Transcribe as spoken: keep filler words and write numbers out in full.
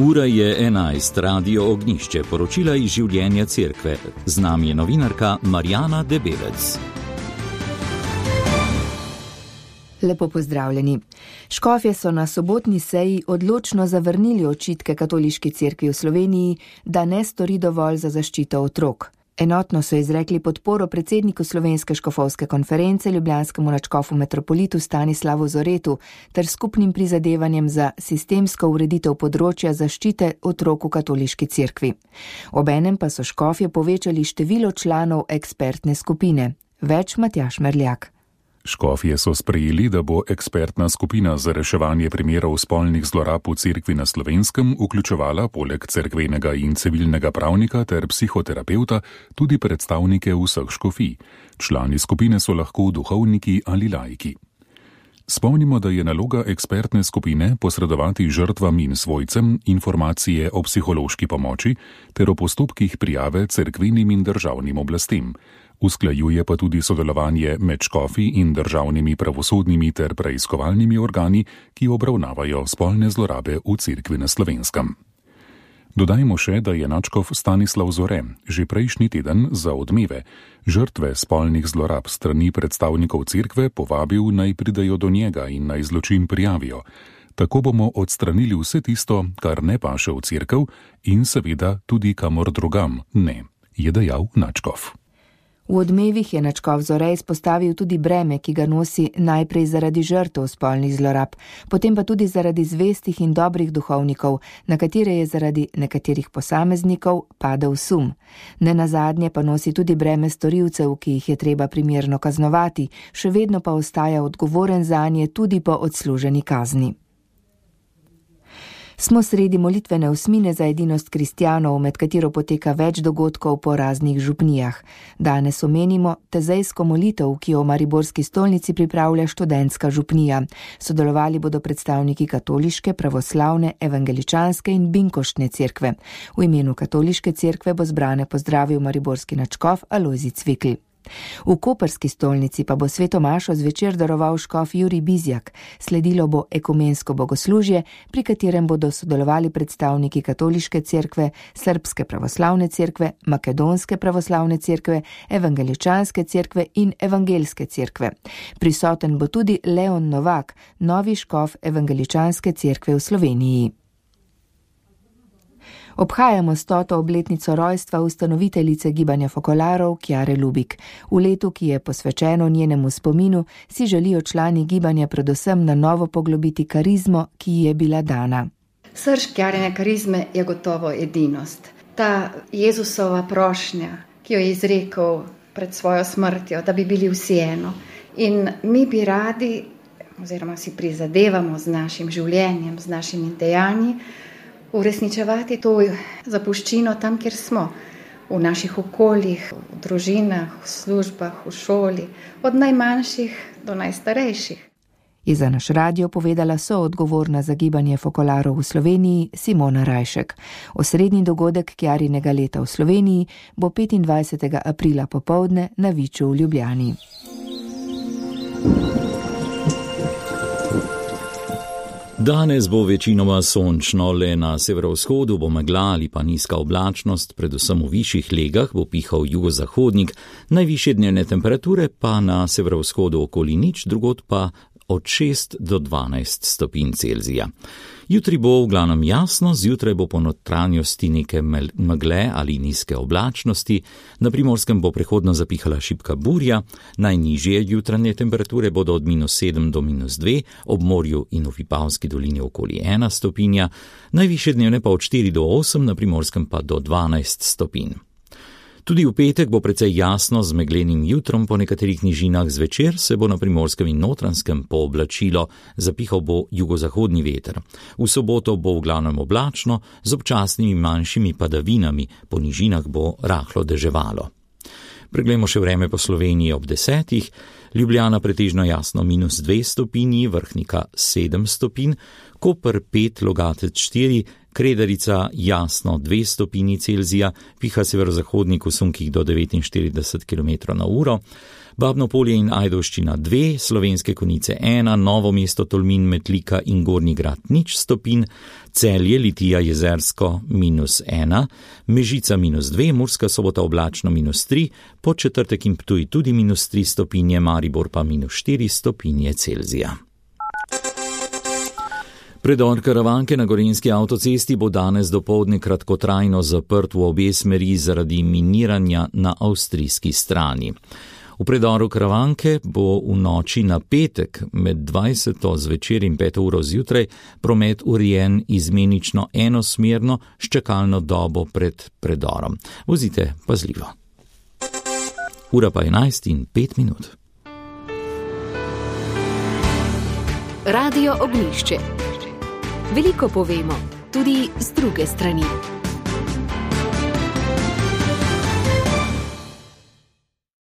Ura je enajst, Radio Ognjišče, poročila iz življenja cerkve. Z nami je novinarka Marjana Debelec. Lepo pozdravljeni. Škofje so na sobotni seji odločno zavrnili očitke Katoliški cerkvi v Sloveniji, da ne stori dovolj za zaščito otrok. Enotno so izrekli podporo predsedniku Slovenske škofovske konference, ljubljanskemu nadškofu metropolitu Stanislavu Zoretu ter skupnim prizadevanjem za sistemsko ureditev področja zaščite otrok v Katoliški cerkvi. Obenem pa so škofje povečali število članov ekspertne skupine. Več Matjaž Merljak. Škofje so sprejeli, da bo ekspertna skupina za reševanje primerov spolnih zlorab v cerkvi na Slovenskem vključevala poleg cerkvenega in civilnega pravnika ter psihoterapeuta tudi predstavnike vseh škofij. Člani skupine so lahko duhovniki ali laiki. Spomnimo, da je naloga ekspertne skupine posredovati žrtvam in svojcem informacije o psihološki pomoči ter o postopkih prijave cerkvenim in državnim oblastem. Usklajuje pa tudi sodelovanje med škofi in državnimi pravosodnimi ter preiskovalnimi organi, ki obravnavajo spolne zlorabe v cerkvi na Slovenskem. Dodajmo še, da je nadškof Stanislav Zore že prejšnji teden za Odmeve žrtve spolnih zlorab strani predstavnikov cerkve povabil, naj pridejo do njega in naj zločin prijavijo. Tako bomo odstranili vse tisto, kar ne paše v cerkev in seveda tudi kamor drugam ne, je dejal nadškof. V Odmevih je nadškof Zore izpostavil tudi breme, ki ga nosi najprej zaradi žrtev spolnih zlorab, potem pa tudi zaradi zvestih in dobrih duhovnikov, na katere je zaradi nekaterih posameznikov padel sum. Nenazadnje pa nosi tudi breme storilcev, ki jih je treba primerno kaznovati, še vedno pa ostaja odgovoren zanje tudi po odsluženi kazni. Smo sredi molitvene osmine za edinost kristjanov, med katero poteka več dogodkov po raznih župnijah. Danes omenimo tezejsko molitev, ki jo v mariborski stolnici pripravlja študentska župnija. Sodelovali bodo predstavniki katoliške, pravoslavne, evangeličanske in binkoštne cerkve. V imenu katoliške cerkve bo zbrane pozdravil mariborski nadškof Alojzij Cvikl. V koprski stolnici pa bo sveto mašo zvečer daroval škof Jurij Bizjak. Sledilo bo ekumensko bogoslužje, pri katerem bodo sodelovali predstavniki katoliške cerkve, srbske pravoslavne cerkve, makedonske pravoslavne cerkve, evangeličanske cerkve in evangelske cerkve. Prisoten bo tudi Leon Novak, novi škof evangeličanske cerkve v Sloveniji. Obhajamo stoto obletnico rojstva ustanoviteljice gibanja fokolarov Kjare Lubik. V letu, ki je posvečeno njenemu spominu, si želijo člani gibanja predvsem na novo poglobiti karizmo, ki ji je bila dana. Srž Kjarine karizme je gotovo edinost. Ta Jezusova prošnja, ki jo je izrekel pred svojo smrtjo, da bi bili vsi eno. In mi bi radi, oziroma si prizadevamo z našim življenjem, z našimi dejanji, uresničevati to zapuščino tam, kjer smo, v naših okoljih, v družinah, v službah, v šoli, od najmanjših do najstarejših. Je za naš radio povedala soodgovorna za gibanje fokolarov v Sloveniji Simona Rajšek. Osrednji dogodek Kjarinega leta v Sloveniji bo petindvajsetega aprila popoldne na Viču v Ljubljani. Danes bo večinoma sončno, le na severovzhodu bo megla ali pa nizka oblačnost, predvsem v višjih legah bo pihal jugozahodnik, najvišje dnevne temperature pa na severovzhodu okoli nič, drugod pa od šest do dvanajst stopinj Celzija. Jutri bo v glavnem jasno, zjutraj bo po notranjosti neke megle ali nizke oblačnosti, na Primorskem bo prehodno zapihala šibka burja, najnižje jutranje temperature bodo od minus sedem do minus dve, ob morju in v Vipavski dolini okoli ena stopinja, najvišje dnevne pa od štiri do osem, na Primorskem pa do dvanajst stopinj. Tudi v petek bo precej jasno z meglenim jutrom, po nekaterih nižinah zvečer se bo na Primorskem in Notranjskem pooblačilo, zapihal bo jugozahodni veter. V soboto bo v glavnem oblačno, z občasnimi manjšimi padavinami, po nižinah bo rahlo deževalo. Preglejmo še vreme po Sloveniji ob desetih, Ljubljana pretežno jasno minus dve stopinji, Vrhnika sedem stopinj, Koper pet, Logatec štiri, Kredarica jasno dve stopinji Celzija, piha severozahodnik v sunkih do devetinštirideset kilometrov na uro, Babno Polje in Ajdovščina dve, Slovenske Konjice ena, Novo mesto, Tolmin, Metlika in Gornji Grad nič stopinj, Celje, Litija, Jezersko minus ena, Mežica minus dve, Murska Sobota oblačno minus tri, Podčetrtek in Ptuj tudi minus tri stopinje, Maribor pa minus štiri stopinje Celzija. Predor Karavanke na Gorenjski avtocesti bo danes dopoldne kratkotrajno zaprt v obe smeri zaradi miniranja na avstrijski strani. V predoru Karavanke bo v noči na petek med dvajseto zvečer in peto uro zjutraj promet urejen izmenično enosmerno s čakalno dobo pred predorom. Vozite pazljivo. Ura pa enajst in pet minut. Radio Ognjišče. Veliko povemo, tudi z druge strani.